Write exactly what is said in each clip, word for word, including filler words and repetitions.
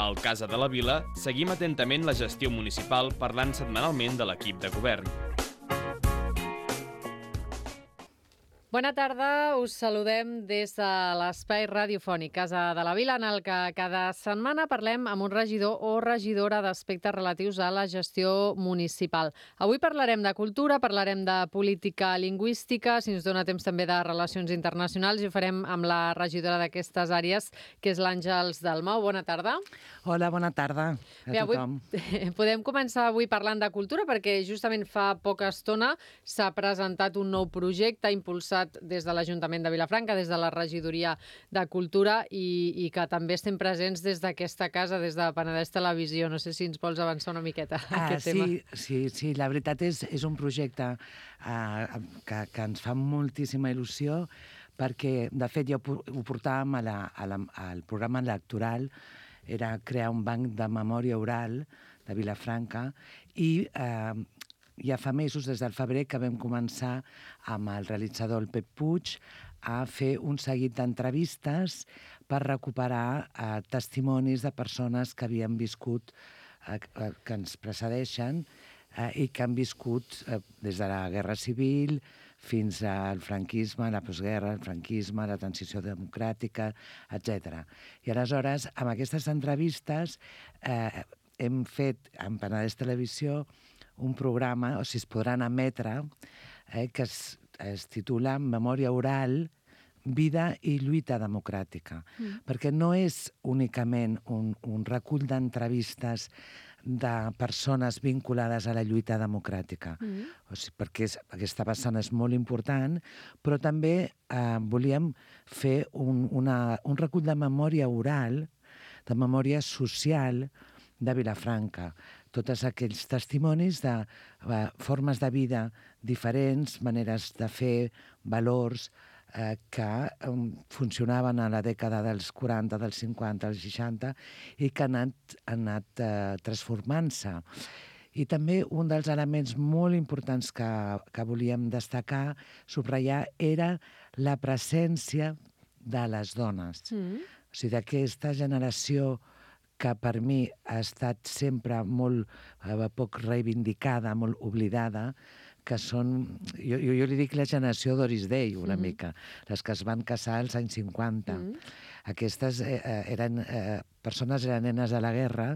Al Casa de la Vila seguim atentament la gestió municipal parlant setmanalment de l'equip de govern. Bona tarda, us saludem des de l'espai radiofònic Casa de la Vila, en el que cada setmana parlem amb un regidor o regidora d'aspectes relatius a la gestió municipal. Avui parlarem de cultura, parlarem de política lingüística, si ens dona temps també de relacions internacionals, i ho farem amb la regidora d'aquestes àrees, que és l'Àngels Dalmau. Bona tarda. Hola, bona tarda a Bé, tothom. Avui podem començar avui parlant de cultura, perquè justament fa poca estona s'ha presentat un nou projecte impulsat des de l'Ajuntament de Vilafranca, des de la Regidoria de Cultura, i, i que també estem presents des d'aquesta casa, des de Penedès Televisió. No sé si ens vols avançar una miqueta Ah, aquest sí, tema. sí, sí, la veritat és, és un projecte uh, que, que ens fa moltíssima il·lusió, perquè, de fet, ja ho, ho portàvem a la, a la, al programa electoral, era crear un banc de memòria oral de Vilafranca, i eh, ja fa mesos, des del febrer, que vam començar amb el realitzador, el Pep Puig, a fer un seguit d'entrevistes per recuperar eh, testimonis de persones que havien viscut, eh, que ens precedeixen, eh, i que han viscut eh, des de la Guerra Civil fins al franquisme, la postguerra, el franquisme, la transició democràtica, etcètera. I aleshores, amb aquestes entrevistes, eh, hem fet en Penedès Televisió un programa, o sigui, es podran emetre, eh, que es, es titula Memòria oral, vida i lluita democràtica. Mm. Perquè no és únicament un, un recull d'entrevistes de persones vinculades a la lluita democràtica. Mm. O sigui, perquè és, aquesta vessant és molt important, però també eh, volíem fer un, una, un recull de memòria oral, de memòria social de Vilafranca. Tots aquells testimonis de uh, formes de vida diferents, maneres de fer, valors eh, que um, funcionaven a la dècada dels quaranta, dels cinquanta, dels seixanta, i que han anat, han anat uh, transformant-se. I també un dels elements molt importants que, que volíem destacar, subratllar, era la presència de les dones. Mm. O sigui, d'aquesta generació que per mi ha estat sempre molt eh, poc reivindicada, molt oblidada, que són, jo, jo, jo li dic la generació Doris Day, una mm-hmm. mica, les que es van casar als anys cinquanta. Mm-hmm. Aquestes eh, eren, eh, persones eren nenes de la guerra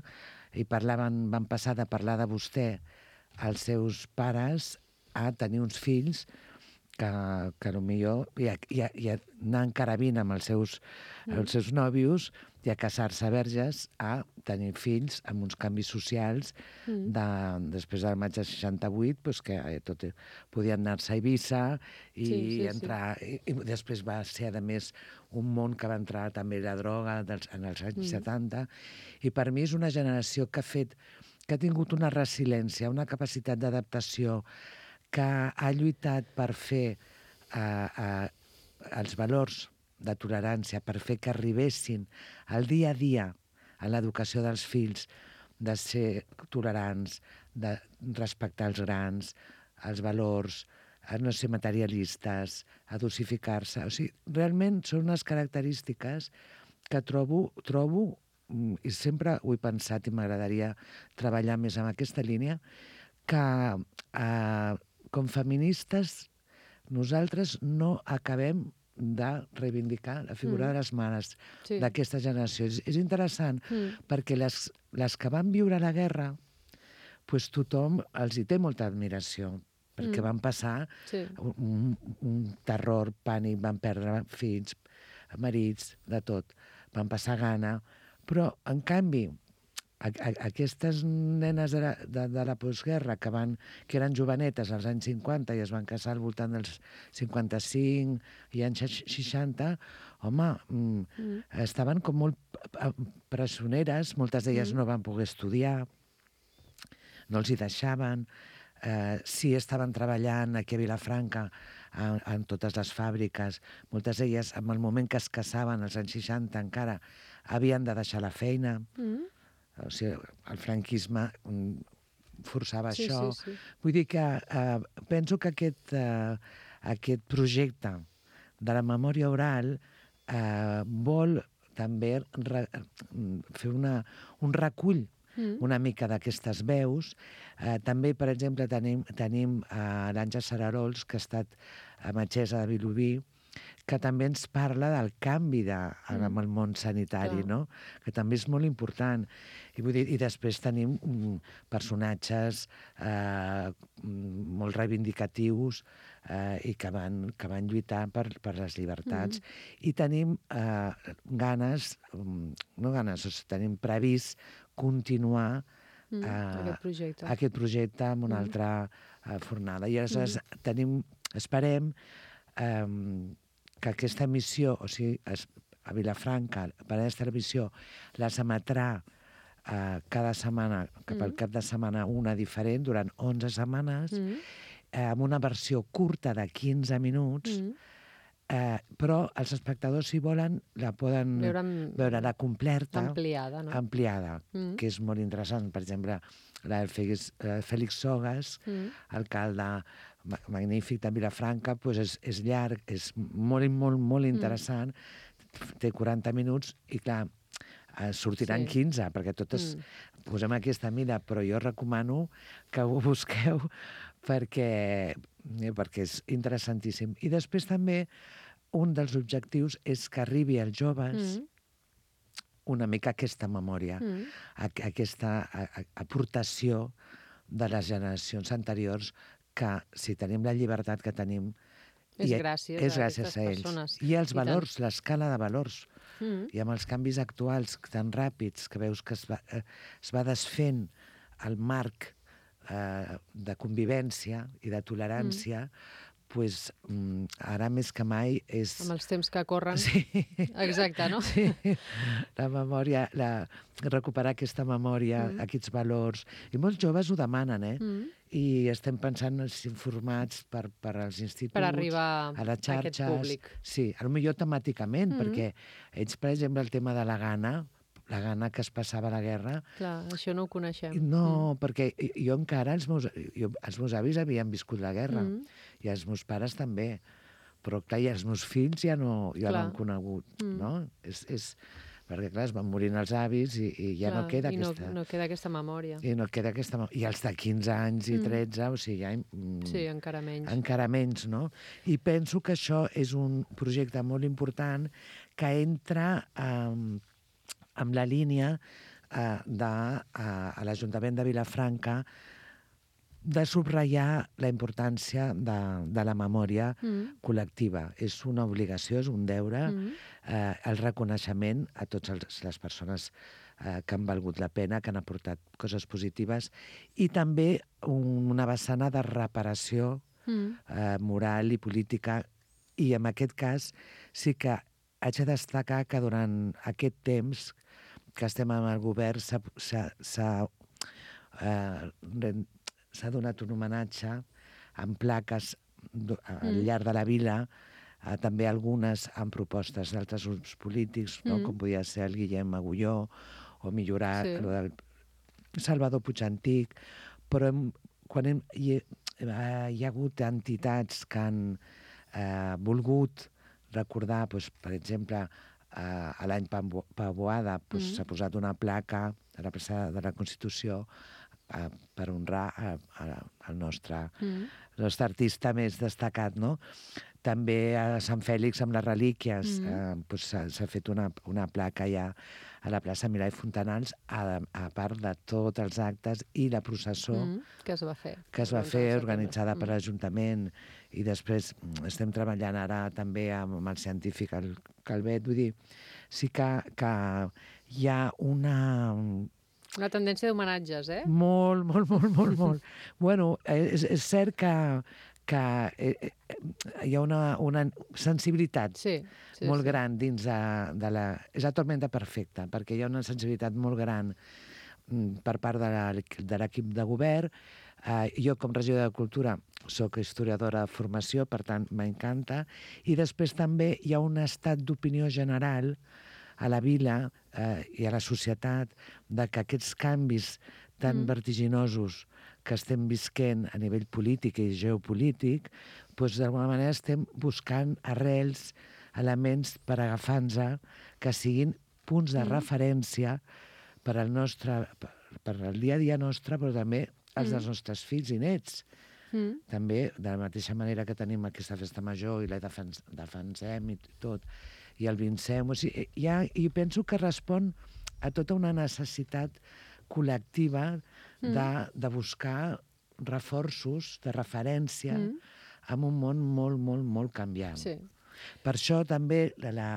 i parlaven, van passar de parlar de vostè als seus pares a tenir uns fills que, que potser i a, i a, i a anar en carabina amb els seus, mm. els seus nòvios i a casar-se verges, a tenir fills amb uns canvis socials mm. de, després del maig de seixanta-vuit, doncs que eh, tot, podien anar-se a Eivissa i sí, sí, entrar... Sí. I, I després va ser, a més, un món que va entrar també la droga dels, en els anys mm. setanta, i per mi és una generació que ha fet, que ha tingut una resiliència, una capacitat d'adaptació, que ha lluitat per fer eh, eh, els valors de tolerància, per fer que arribessin al dia a dia a l'educació dels fills, de ser tolerants, de respectar els grans, els valors, a no ser materialistes, a dosificar-se. O sigui, realment són unes característiques que trobo, trobo i sempre ho he pensat i m'agradaria treballar més en aquesta línia, que eh, com feministes nosaltres no acabem de reivindicar la figura mm. de les mares sí. d'aquesta generació. És, és interessant mm. perquè les, les que van viure la guerra, pues tothom els hi té molta admiració, perquè mm. van passar sí. un, un terror, pànic, van perdre fills, marits, de tot. Van passar gana, però en canvi A, a, aquestes nenes de la, de, de la postguerra que, van, que eren jovenetes als anys cinquanta i es van casar al voltant dels cinquanta-cinc i anys seixanta, home, mm, mm. estaven com molt pressioneres, moltes d'elles mm. no van poder estudiar, no els hi deixaven, eh, sí estaven treballant aquí a Vilafranca en, en totes les fàbriques, moltes d'elles en el moment que es casaven, als anys seixanta encara, havien de deixar la feina, mm. O sigui, el franquisme forçava sí, això. Sí, sí. Vull dir que eh, penso que aquest, eh, aquest projecte de la memòria oral eh, vol també re, fer una, un recull mm. una mica d'aquestes veus. Eh, també, per exemple, tenim, tenim eh, l'Àngel Sararols, que ha estat metgessa de Vilobí, que també ens parla del canvi de, mm. en el món sanitari, no? Que també és molt important. I, vull dir, i després tenim um, personatges eh, molt reivindicatius eh, i que van, que van lluitar per, per les llibertats. Mm. I tenim eh, ganes, um, no ganes, o sigui, tenim previst continuar mm. uh, aquest, projecte. aquest projecte amb una mm. altra uh, fornada. I aleshores mm. tenim, esperem um, que aquesta missió, o sigui, a Vilafranca, per aquesta missió, les emetrà eh, cada setmana, cap al cap de setmana, una diferent, durant onze setmanes, mm. eh, amb una versió curta de quinze minuts, mm. eh, però els espectadors, si volen, la poden veure, veure la completa, ampliada, no? ampliada mm. que és molt interessant. Per exemple, la del Félix, eh, Félix Sogas, mm. alcalde magnífic de Vilafranca, doncs és, és llarg, és molt, molt, molt interessant, mm. té quaranta minuts i, clar, eh, sortiran sí. quinze, perquè totes mm. posem aquesta mida, però jo recomano que ho busqueu perquè, eh, perquè és interessantíssim. I després també un dels objectius és que arribi als joves mm. una mica aquesta memòria, mm. a, aquesta a, a, aportació de les generacions anteriors, que si tenim la llibertat que tenim és gràcies, és gràcies a, a ells. Persones. I els valors, l'escala de valors. Mm. I amb els canvis actuals tan ràpids que veus que es va, eh, es va desfent el marc eh, de convivència i de tolerància, mm. pues, mm, ara més que mai és... Amb els temps que corren. Sí. Exacte, no? Sí. La memòria, la... recuperar aquesta memòria, mm. aquests valors. I molts joves ho demanen, eh? Mm. I estem pensant en informats per, per als instituts, per arribar a les xarxes. A aquest públic. Sí, potser temàticament, mm. perquè ells, per exemple, el tema de la gana, la gana que es passava a la guerra... Clar, això no ho coneixem. No, mm. perquè jo encara, els meus, jo, els meus avis havien viscut la guerra, mm. i els meus pares també, però clar, i els meus fills ja no, ja no han conegut, mm. no? És, és, perquè clar, es van morint els avis i, i ja clar, no queda i aquesta... no, no queda aquesta memòria. I no queda aquesta memòria. I els de quinze anys i tretze, mm. o sigui, ja... Mm, sí, encara menys. Encara menys, no? I penso que això és un projecte molt important que entra... Eh, amb la línia eh, de, eh, a l'Ajuntament de Vilafranca de subratllar la importància de, de la memòria mm. col·lectiva. És una obligació, és un deure, mm. eh, el reconeixement a totes les persones eh, que han valgut la pena, que han aportat coses positives, i també un, una vessana de reparació mm. eh, moral i política, i en aquest cas sí que haig de destacar que durant aquest temps que estem amb el govern s'ha eh, donat un homenatge amb plaques al llarg de la vila, eh, també algunes amb propostes d'altres grups polítics, no? mm. com podia ser el Guillem Agulló, o millorar sí. el del Salvador Puigantic, però hem, quan hem, hi, eh, hi ha hagut entitats que han eh, volgut recordar, doncs, per exemple, Uh, a l'any Pavoada pues, mm. s'ha posat una placa a la plaça de la Constitució uh, per honrar uh, uh, el nostre, mm. el nostre artista més destacat, no? També a Sant Fèlix, amb les relíquies, mm. uh, pues, s'ha fet una, una placa ja a la plaça Milà i Fontanals, a, a part de tots els actes i la processó mm. que es va fer, que es va fer organitzada mm. per l'Ajuntament. I després estem treballant ara també amb el científic, el Calvet. Vull dir, sí que, que hi ha una... Una tendència d'homenatges, eh? Molt, molt, molt, molt, molt. Bueno, és, és cert que, que hi ha una, una sensibilitat sí, sí, molt sí. gran dins de, de la... És la tormenta perfecta, perquè hi ha una sensibilitat molt gran per part de l'equip de govern. Uh, jo, com regidora de Cultura, soc historiadora de formació, per tant, m'encanta. I després també hi ha un estat d'opinió general a la vila eh, i a la societat de que aquests canvis tan mm. vertiginosos que estem visquent a nivell polític i geopolític, doncs d'alguna manera estem buscant arrels, elements per agafar-nos que siguin punts de Mm. referència per al nostre, per, per al dia a dia nostre, però també els Mm. dels nostres fills i nets. Mm. També, de la mateixa manera que tenim aquesta festa major i la defens defensem i tot, i el vincem, o sigui, ja, jo penso que respon a tota una necessitat col·lectiva de, de buscar reforços de referència Mm. en un món molt, molt, molt canviant. Sí. Per això també la, la,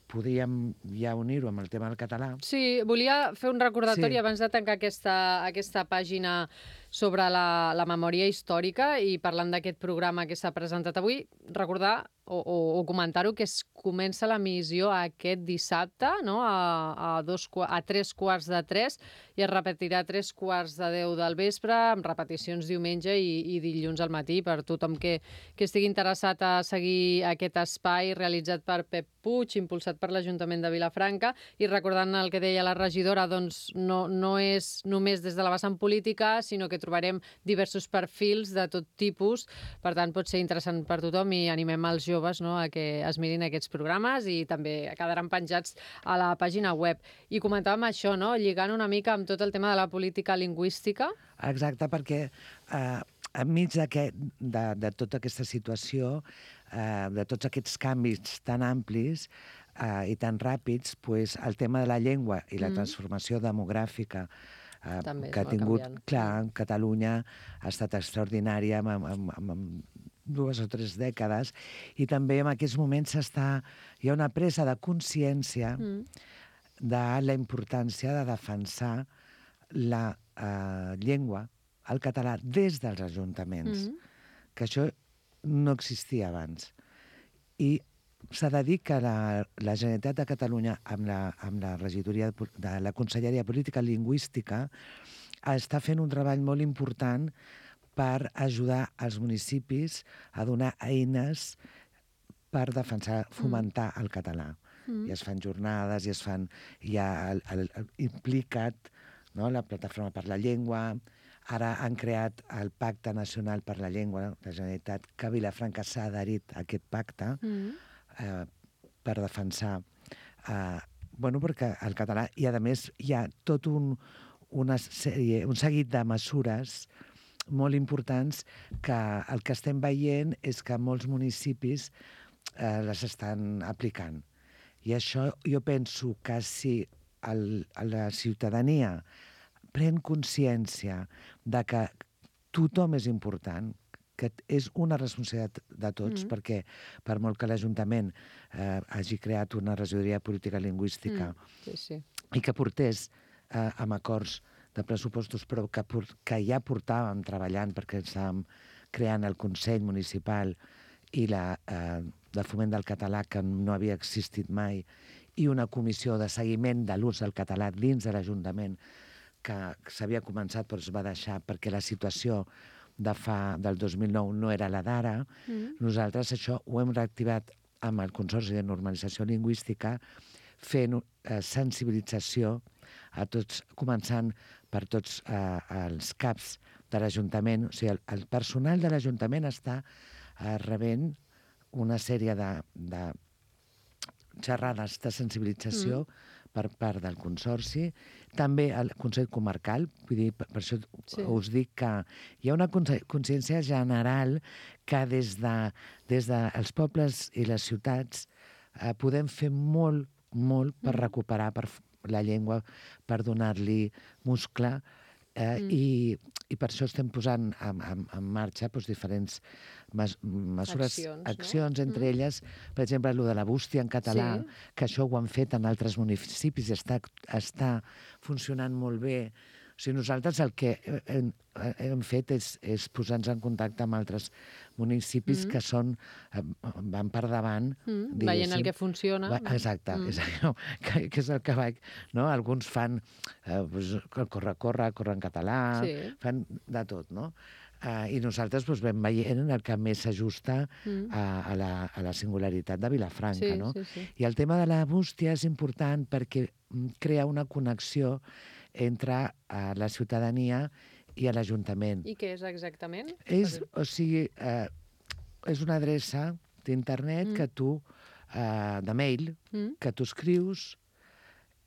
podríem ja unir-ho amb el tema del català. Sí, volia fer un recordatori Sí. abans de tancar aquesta, aquesta pàgina sobre la, la memòria històrica i parlant d'aquest programa que s'ha presentat avui, recordar o, o, o comentar-ho que es comença l'emissió aquest dissabte, no? a, a, dos, a tres quarts de tres i es repetirà a tres quarts de deu del vespre amb repeticions diumenge i, i dilluns al matí per tothom que, que estigui interessat a seguir aquest espai realitzat per Pep Puig, impulsat per l'Ajuntament de Vilafranca, i recordant el que deia la regidora, doncs no, no és només des de la vessant política, sinó que trobarem diversos perfils de tot tipus, per tant pot ser interessant per tothom i animem els joves, no?, a que es mirin aquests programes i també quedaran penjats a la pàgina web. I comentàvem això, no?, lligant una mica amb tot el tema de la política lingüística. Exacte, perquè eh, enmig de, de tota aquesta situació, eh, de tots aquests canvis tan amplis eh, i tan ràpids, pues, el tema de la llengua i la Mm. transformació demogràfica eh, També es que ha va tingut, canviant. clar, Catalunya ha estat extraordinària amb, amb, amb, amb dues o tres dècades, i també en aquests moments està, hi ha una presa de consciència Mm. de la importància de defensar la eh, llengua, el català, des dels ajuntaments, Mm. que això no existia abans. I s'ha de dir que la, la Generalitat de Catalunya, amb la, amb la regidoria de, de la Conselleria de Política Lingüística, està fent un treball molt important per ajudar els municipis a donar eines per defensar, fomentar el català. Mm. I es fan jornades, i es fan, hi ha el, el, el, implicat, no?, la Plataforma per la Llengua. Ara han creat el Pacte Nacional per la Llengua, la Generalitat, que Vilafranca s'ha adherit a aquest pacte Mm. eh, per defensar eh, bueno, perquè el català, i a més hi ha tot un, una sèrie, un seguit de mesures molt importants que el que estem veient és que molts municipis eh, les estan aplicant. I això jo penso que si el, la ciutadania pren consciència de que tothom és important, que és una responsabilitat de tots, Mm. perquè per molt que l'Ajuntament eh, hagi creat una regidoria de política lingüística Mm. Sí, sí. i que portés eh, amb acords de pressupostos, però que, que ja portàvem treballant perquè estàvem creant el Consell Municipal i la eh, de foment del català, que no havia existit mai, i una comissió de seguiment de l'ús del català dins de l'Ajuntament, que s'havia començat però es va deixar perquè la situació de fa, del dos mil nou no era la d'ara. Mm. Nosaltres això ho hem reactivat amb el Consorci de Normalització Lingüística, fent eh, sensibilització a tots, començant per tots eh, els caps de l'Ajuntament. O sigui, el, el personal de l'Ajuntament està eh, rebent una sèrie de, de xerrades de sensibilització mm. per part del Consorci, també el Consell Comarcal, vull dir, per, per això Sí. us dic que hi ha una consciència general que des de, des dels pobles i les ciutats eh, podem fer molt, molt per Mm. recuperar per la llengua, per donar-li muscle, eh, Mm. i, i per això estem posant en, en, en marxa doncs, diferents mes, mesures, Accions, no? accions entre Mm. elles, per exemple, el de la bústia en català, Sí. que això ho han fet en altres municipis i està, està funcionant molt bé. O sigui, nosaltres el que hem, hem fet és, és posar-nos en contacte amb altres municipis Mm. que són, eh, van per davant, Mm. Veient diguéssim. el que funciona. Va, exacte, Mm. és allò que, que és el que vaig... No? Alguns fan eh, pues, corre, corre, corre en català, Sí. fan de tot, no? Uh, I nosaltres pues, vam veient el que més s'ajusta Mm. a, a, la, a la singularitat de Vilafranca, Sí, no? sí, sí. I el tema de la bústia és important perquè mm, crea una connexió entre uh, la ciutadania i l'Ajuntament. I què és exactament? És, o sigui, eh, és una adreça d'internet Mm. que tu, eh, de mail, Mm. que tu escrius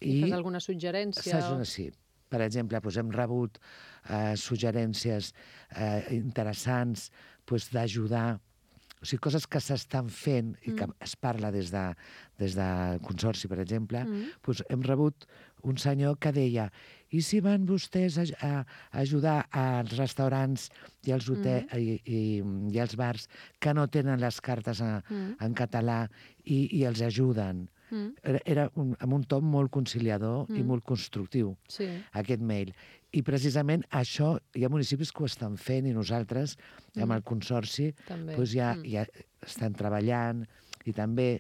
I fas alguna suggerència? O... Sí. Per exemple, doncs hem rebut eh, suggerències eh, interessants doncs, d'ajudar, o sigui, coses que s'estan fent i que mm. es parla des, de, des del Consorci, per exemple, mm. doncs hem rebut un senyor que deia i si van vostès a, a, a ajudar als restaurants i als, hotel, mm. i, i, i als bars que no tenen les cartes a, mm. en català i, i els ajuden? Mm. Era, era un, amb un to molt conciliador mm. i molt constructiu, sí. aquest mail. I precisament això, hi ha municipis que ho estan fent i nosaltres, mm. amb el Consorci, doncs ja, mm. ja estan treballant i també...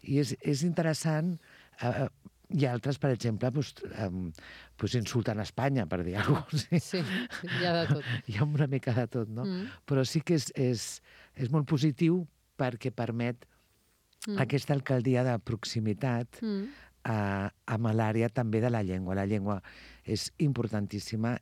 I és, és interessant... Eh, i altres, per exemple, doncs, um, doncs insulten Espanya, per dir alguna cosa. Sí, sí, hi ha de tot. Hi ha una mica de tot, no? Mm. Però sí que és, és, és molt positiu perquè permet mm. aquesta alcaldia de proximitat mm. a, amb l'àrea també de la llengua. La llengua és importantíssima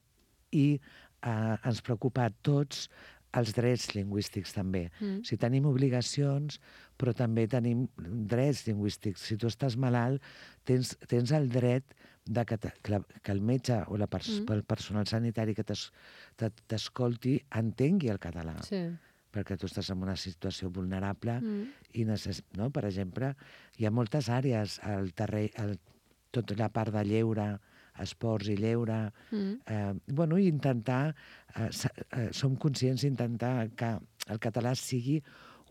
i eh, ens preocupa a tots els drets lingüístics també. Mm. O sigui, tenim obligacions, però també tenim drets lingüístics. Si tu estàs malalt, tens, tens el dret de que, te, que, la, que el metge o la pers mm. el personal sanitari que t'escolti entengui el català. Sí. Perquè tu estàs en una situació vulnerable mm. i necess... no? Per exemple, hi ha moltes àrees al terreny, al, tota la part de lleure, esports i lleure, mm. eh, bueno, i intentar, eh, eh, som conscients d'intentar que el català sigui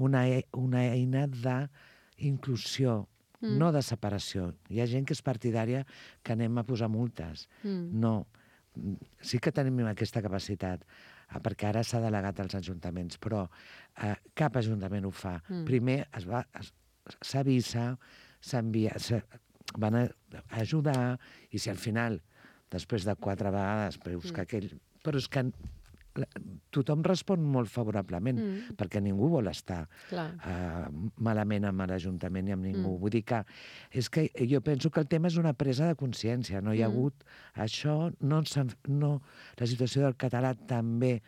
una, e una eina d'inclusió, mm. no de separació. Hi ha gent que és partidària que anem a posar multes. Mm. No, sí que tenim aquesta capacitat, eh, perquè ara s'ha delegat als ajuntaments, però eh, cap ajuntament ho fa. Mm. Primer es va, s'avisa, s'envia... van a ajudar, i si al final, després de quatre vegades, veus mm. que aquell... Però és que tothom respon molt favorablement, mm. perquè ningú vol estar uh, malament amb l'Ajuntament i amb ningú. Mm. Vull dir que, és que jo penso que el tema és una presa de consciència. No hi ha mm. hagut això, no, no, la situació del català també,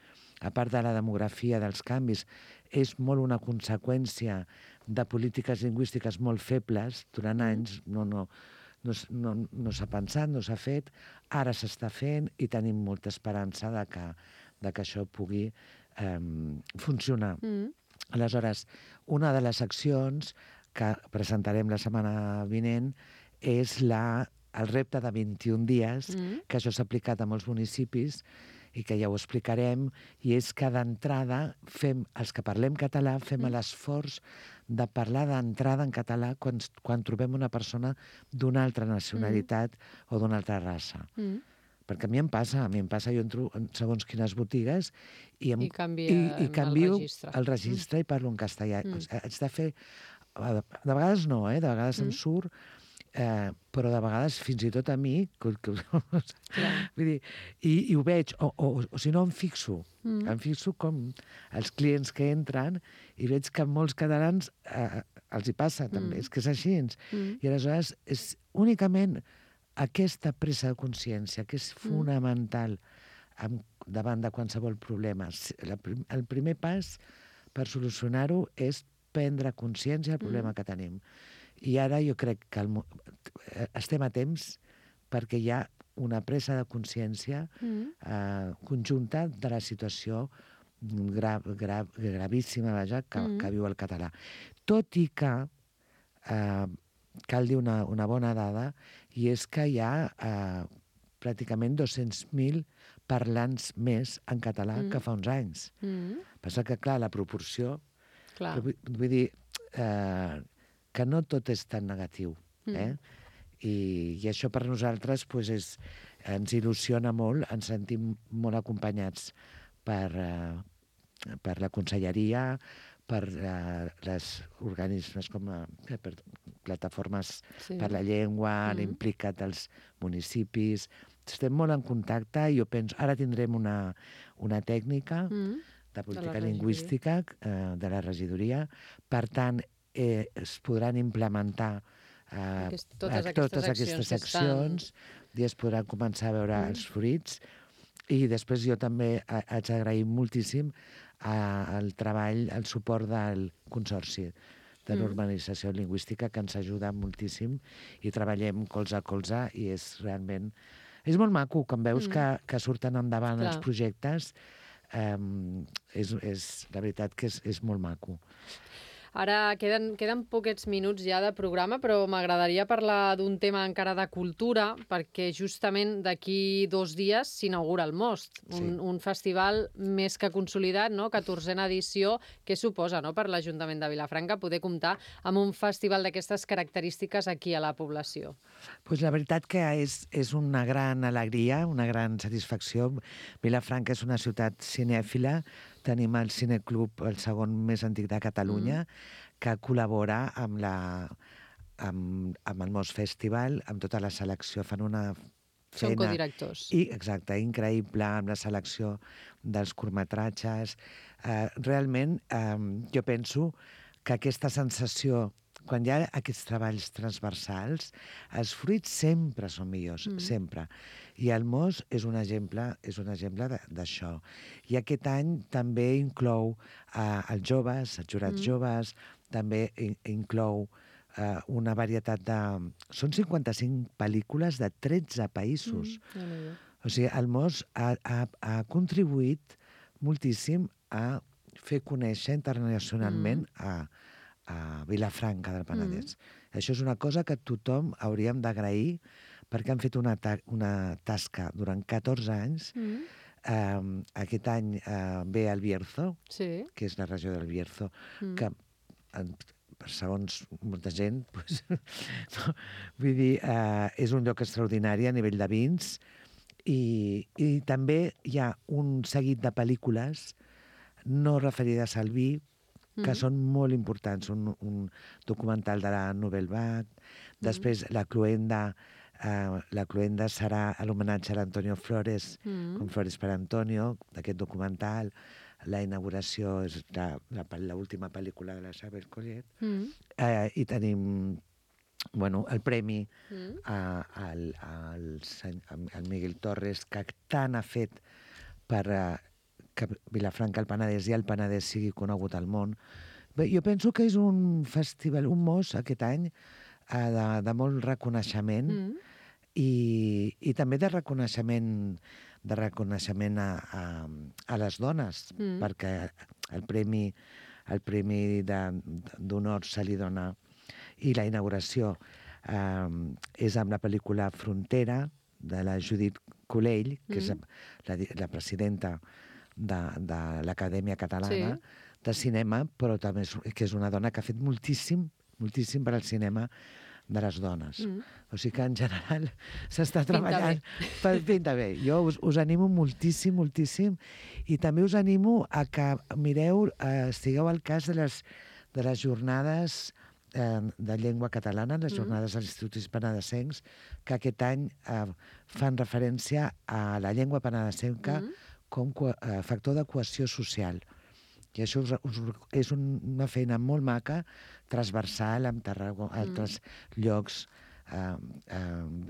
a part de la demografia, dels canvis, és molt una conseqüència de polítiques lingüístiques molt febles durant anys, no, no, no, no, no s'ha pensat, no s'ha fet, ara s'està fent i tenim molta esperança de que, de que això pugui eh, funcionar. Mm. Aleshores, una de les accions que presentarem la setmana vinent és la, el repte de vint-i-un dies, mm. que això s'ha aplicat a molts municipis, i que ja ho explicarem, i és que d'entrada fem, els que parlem català, fem mm. l'esforç de parlar d'entrada en català quan, quan trobem una persona d'una altra nacionalitat mm. o d'una altra raça. Mm. Perquè a mi em passa, a mi em passa, jo entro en segons quines botigues i, em, I, canvia i, i canvio el registre, el registre mm. i parlo en castellà. Mm. Haig de fer... De vegades no, eh? De vegades mm. em surt... Eh, però de vegades fins i tot a mi que, que, vull dir, i, i ho veig o, o, o si no em fixo mm. em fixo com els clients que entren i veig que molts catalans eh, els hi passa també, mm. és que és així mm. i aleshores és únicament aquesta presa de consciència que és fonamental amb, davant de qualsevol problema. La, el primer pas per solucionar-ho és prendre consciència del problema mm. que tenim. I ara jo crec que el, estem a temps perquè hi ha una presa de consciència mm. eh, conjunta de la situació gra, gra, gravíssima vaja, que, mm. que viu el català. Tot i que eh, cal dir una, una bona dada, i és que hi ha eh, pràcticament dos-cents mil parlants més en català mm. que fa uns anys. Mm. Passa que, clar, la proporció... Clar. Vull, vull dir... Eh, que no tot és tan negatiu. Eh? Mm. I, I això per nosaltres pues, és, ens il·lusiona molt, ens sentim molt acompanyats per, uh, per la conselleria, per uh, les organismes com uh, per plataformes sí. per la llengua, mm. l'implicat dels municipis. Estem molt en contacte i jo penso... Ara tindrem una, una tècnica mm. de política de lingüística uh, de la regidoria. Per tant, Eh, es podran implementar eh, Aquest, totes, a, totes aquestes accions, accions estan... i es podran començar a veure mm. els fruits. I després jo també haig d'agrair moltíssim eh, el treball, el suport del Consorci de normalització lingüística que ens ajuda moltíssim i treballem colze a colze i és realment... És molt maco, quan veus mm. que, que surten endavant Clar. els projectes, eh, és, és, la veritat que és, és molt maco. Ara queden, queden poquets minuts ja de programa, però m'agradaria parlar d'un tema encara de cultura, perquè justament d'aquí dos dies s'inaugura el Most, un, sí. un festival més que consolidat, no? catorzena edició. Què suposa, no?, per l'Ajuntament de Vilafranca poder comptar amb un festival d'aquestes característiques aquí a la població? Pues la veritat que és, és una gran alegria, una gran satisfacció. Vilafranca és una ciutat cinèfila. Tenim el Cineclub, el segon més antic de Catalunya, mm. que col·labora amb, la, amb, amb el Most Festival, amb tota la selecció. Fan una feina... Són codirectors. I, exacte, increïble, amb la selecció dels curtmetratges. Uh, realment, um, jo penso que aquesta sensació, quan hi ha aquests treballs transversals, els fruits sempre són millors, mm. sempre. I el Most és un exemple, és un exemple d'això. I aquest any també inclou uh, els joves, els jurats mm. joves, també in inclou uh, una varietat de... Són cinquanta-cinc pel·lícules de tretze països. Mm. Mm. O sigui, el Most ha, ha, ha contribuït moltíssim a fer conèixer internacionalment mm. a a Vilafranca del Penedès. Mm. Això és una cosa que tothom hauríem d'agrair perquè han fet una, ta una tasca durant catorze anys. Mm. Um, aquest any uh, ve el Bierzo, sí. que és la regió del Bierzo, mm. que en, segons molta gent, pues, no, vull dir, uh, és un lloc extraordinari a nivell de vins i, i també hi ha un seguit de pel·lícules no referides al vi que mm. són molt importants. Un, un documental de la Nouvelle Vague. Després, mm. la Cluenda, eh, la Cluenda serà l'homenatge a l'Antonio Flores, mm. com Flores per Antonio, d'aquest documental. La inauguració és l'última pel·lícula de la Isabel Collet. Mm. Eh, I tenim bueno, el premi mm. a, al, al, al Miguel Torres, que tant ha fet per... Eh, que Vilafranca, el Penedès i el Penedès sigui conegut al món. Bé, jo penso que és un festival, un Most aquest any, eh, de, de molt reconeixement mm. i, i també de reconeixement, de reconeixement a, a, a les dones, mm. perquè el premi, el premi d'honor se li dona i la inauguració eh, és amb la pel·lícula Frontera, de la Judit Colell, que mm. és la, la presidenta de, de l'Acadèmia Catalana sí. de Cinema, però també és, que és una dona que ha fet moltíssim, moltíssim per al cinema de les dones. Mm. O sigui que, en general, s'està treballant... Per, pinta bé. Jo us, us animo moltíssim, moltíssim, i també us animo a que mireu, eh, estigueu al cas de les, de les jornades eh, de llengua catalana, les jornades mm. als instituts penedesencs, que aquest any eh, fan referència a la llengua penedesenca mm. com a factor de cohesió social. I això us, us, és un, una feina molt maca, transversal, amb Tarragona, mm. altres llocs, eh, eh,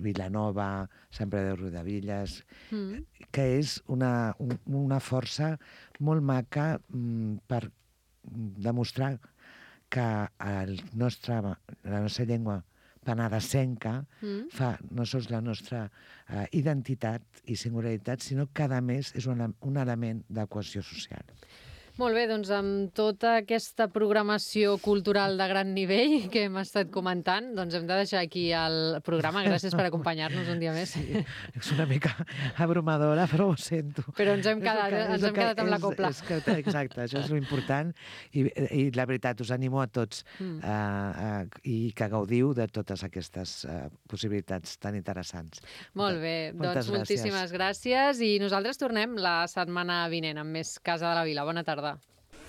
Vilanova, Sant Pere de Riudebitlles, mm. que és una, un, una força molt maca mm, per demostrar que el nostre, la nostra llengua penedesenca mm. fa no sols la nostra uh, identitat i singularitat, sinó que cada mes és un, un element de cohesió social. Molt bé, doncs amb tota aquesta programació cultural de gran nivell que hem estat comentant, doncs hem de deixar aquí el programa. Gràcies per acompanyar-nos un dia més. Sí, és una mica abrumadora, però ho sento. Però ens hem quedat, que, ens hem quedat amb és, la copla. És que, exacte, això és l'important. I, I la veritat, us animo a tots mm. uh, uh, i que gaudiu de totes aquestes uh, possibilitats tan interessants. Molt bé, Moltes doncs moltíssimes gràcies. gràcies i nosaltres tornem la setmana vinent amb més Casa de la Vila. Bona tarda.